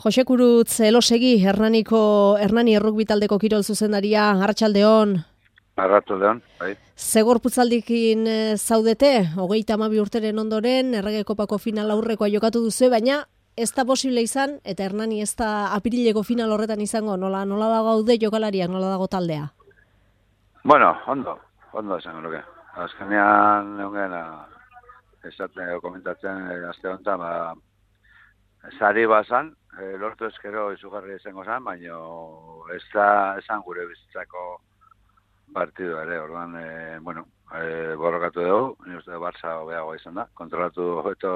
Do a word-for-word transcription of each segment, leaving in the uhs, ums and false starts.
Jose Kurutz, elosegi, Hernaniko, Hernani errukbi taldeko kirol zuzendaria, arratsaldeon. Arratsaldeon, bai. Zegorputzaldikin zaudete, hogeita hamabi urteren ondoren, Errege Kopako final aurrekoa jokatu duzu, baina ez da posible izan, eta Hernani ez da apirileko final horretan izango, nola, nola dago gaude jokalariak, nola dago taldea? Bueno, ondo, ondo esango nuke. Azkenean, egun esaten komentatzen, azte honetan, ba, sari bazan, e, lortu ezkero izugarri izango zen, baina ez da esan gure bizitzako partidu ere, orduan, e, bueno, e, borrokatu dugu, ni uste Barça hobeagoa izan da, kontrolatu hobeto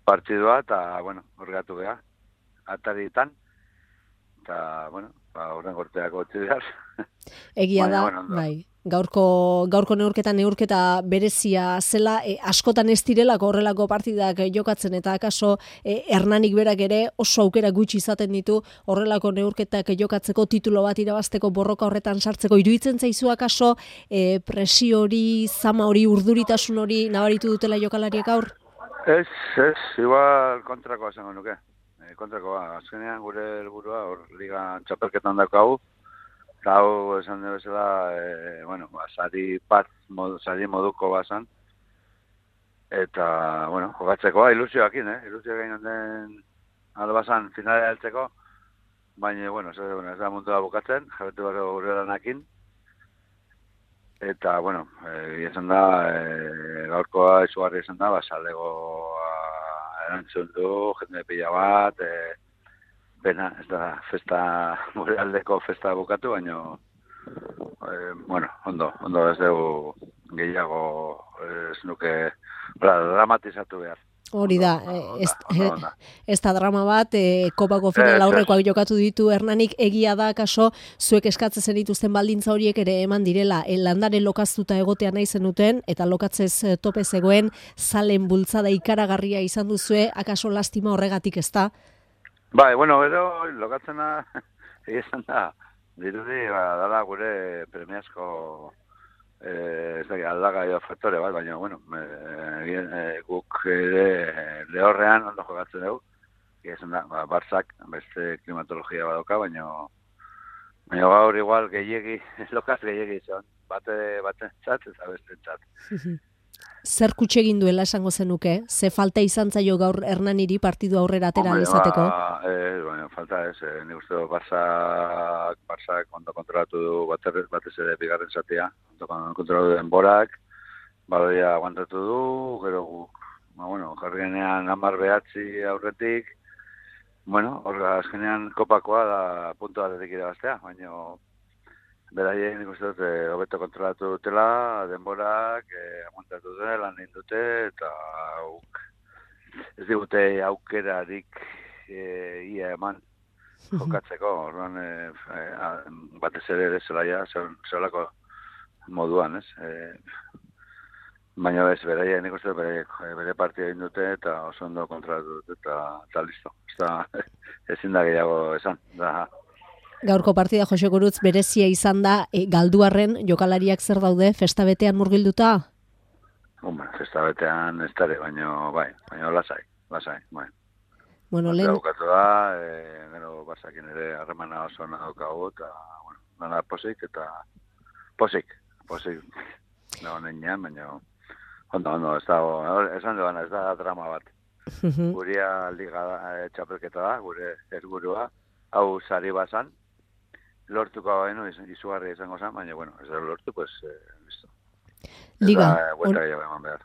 partidua, eta, bueno, horregatu beha, ataritan, eta, bueno, ba, horren gorteako utzi behar. Egia da, bueno, bai. Gaurko, gaurko neurketa neurketa berezia zela, e, askotan ez direlako horrelako partidak jokatzen, eta akaso e, Hernanik berak ere oso aukera gutxi izaten ditu horrelako neurketak jokatzeko, titulo bat irabazteko, borroka horretan sartzeko. Iruditzen zaizu akaso e, presio hori, zama hori, urduritasun hori nabaritu dutela jokalariek aur? Ez, ez, igual kontrakoa zengo nuke. E, kontrakoa, azkenean gure helburua hor liga txapelketan daukagu. Eta hau esan dugu bezala, e, bueno, ba, sari bat, mod, sari moduko bazan. Eta, bueno, jokatzekoa ilusioakin, eh? Ilusioak egin den albazan finalea heltzeko. Baina, bueno, ez, bueno, ez da muntua bukatzen, jabetu gara gure lanakin. Eta, bueno, e, esan da, e, gaurkoa izugarri esan da, basalegoa erantzun du, jende pila bat, e, Bena, ez da, festa, gure aldeko festa bukatu, baina, eh, bueno, ondo, ondo ez dugu gehiago ez nuke dramatizatu behar. Hori da, ez, ez da drama bat, e, kopako final aurrekoak jokatu ditu Hernanik, egia da, kaso, zuek eskatzen zenituzten baldintza horiek ere eman direla, e, landare lokaztuta egotea nahi zenuten, eta lokatzez tope zegoen, zalen bultzada ikaragarria izan duzue, akaso lastima horregatik ez da? Bai, bueno, gero, lokatzena, egizan da, dirudi, ba, dala gure premiazko, eh, ez da, aldagaio faktore bat, baina, bueno, e, e, guk ere lehorrean ondo jokatzen dugu, egizan da, ba, Barzak, beste klimatologia badoka, baina, baina gaur igual gehiegi, lokaz gehiegi izan, bate, bate txat, eta beste txat. Zer kutxe egin duela esango zenuke? Ze falta izan zaio gaur Hernaniri partidu aurrera atera izateko? Ba, eh, bueno, falta ez, eh, nik uste Barzak, Barzak ondo kontrolatu du batez, batez ere bigarren zatia, ondo kontrolatu denborak, baloia aguantatu du, gero guk, ba, bueno, jarri genean hamar behatzi aurretik, bueno, hor azkenean kopakoa da puntu batetik irabaztea, baina beraien nik uste dut hobeto kontrolatu dutela, denborak, eh, aguantatu dute, lan egin dute, eta auk, ez digute aukerarik e, ia eman jokatzeko, orduan e, e, batez ere ere zelaia, zelako moduan, ez? E, baina ez, beraien nik uste dut bere, bere partia egin dute, eta oso ondo kontrolatu dute, eta, eta listo. Ez da, ezin da gehiago esan, da. Gaurko partida Jose Kurutz berezia izan da, e, galduarren jokalariak zer daude, festa betean murgilduta? Hombre, festa betean ez dara, baina bai, baina lasai, lasai, bai. Bueno, lehen... Bukatu da, e, gero Barzakin ere harremana oso daukagu, eta, bueno, dana posik, eta posik, posik, da honen nean, baina, ondo, ondo, ez da, esan duan, ez da drama bat. Guria liga e, txapelketa da, gure helburua, hau sari bazan, lortuko baino izugarri izango zen, baina, bueno, ez da lortu, pues, eh, listo. Liga,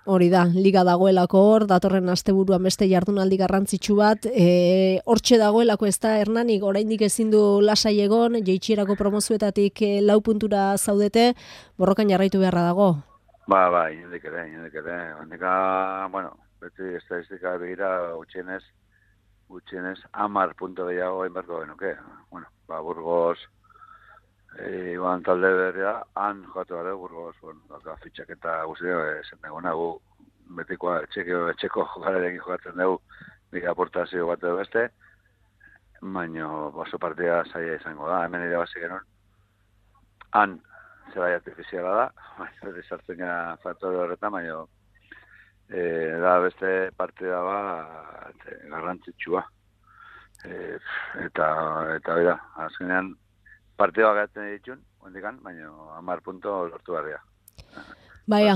hori da, liga dagoelako hor, datorren asteburuan beste jardunaldi garrantzitsu bat, e, hortxe dagoelako ez da Hernanik, oraindik ezin du lasai egon, jeitxierako promozioetatik e, lau puntura zaudete, borrokan jarraitu beharra dago. Ba, ba, inendik ere, inendik ere, indika, bueno, beti estadistika begira, utxienez, utxienez, amar punto gehiago enbarko genuke, bueno, ba, Burgos, E, Iban talde berria, han jokatu gara, Burgos, bueno, baka fitxak eta guztio, zen egona, gu betikoa etxeko, etxeko jokalarekin jokatzen dugu, nik aportazio bat edo beste, baina baso partida zaila izango da, hemen ere bazik genuen, han zelai artifiziala da, baina sartzen gara faktore horretan, baina e, da beste partida bat garrantzitsua. E, eta, eta bera, azkenean, partidua gaten ditun, ondikan, baina hamar punto lortu barria. Baia,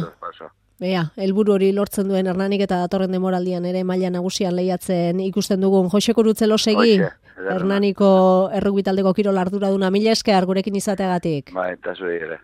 Bea, helburu hori lortzen duen Hernanik eta datorren demoraldian ere maila nagusian lehiatzen ikusten dugun. Jose Kurutzelo segi, Hernaniko errugbi taldeko kirol arduraduna, mila esker gurekin izateagatik. Ba, eta zure ere.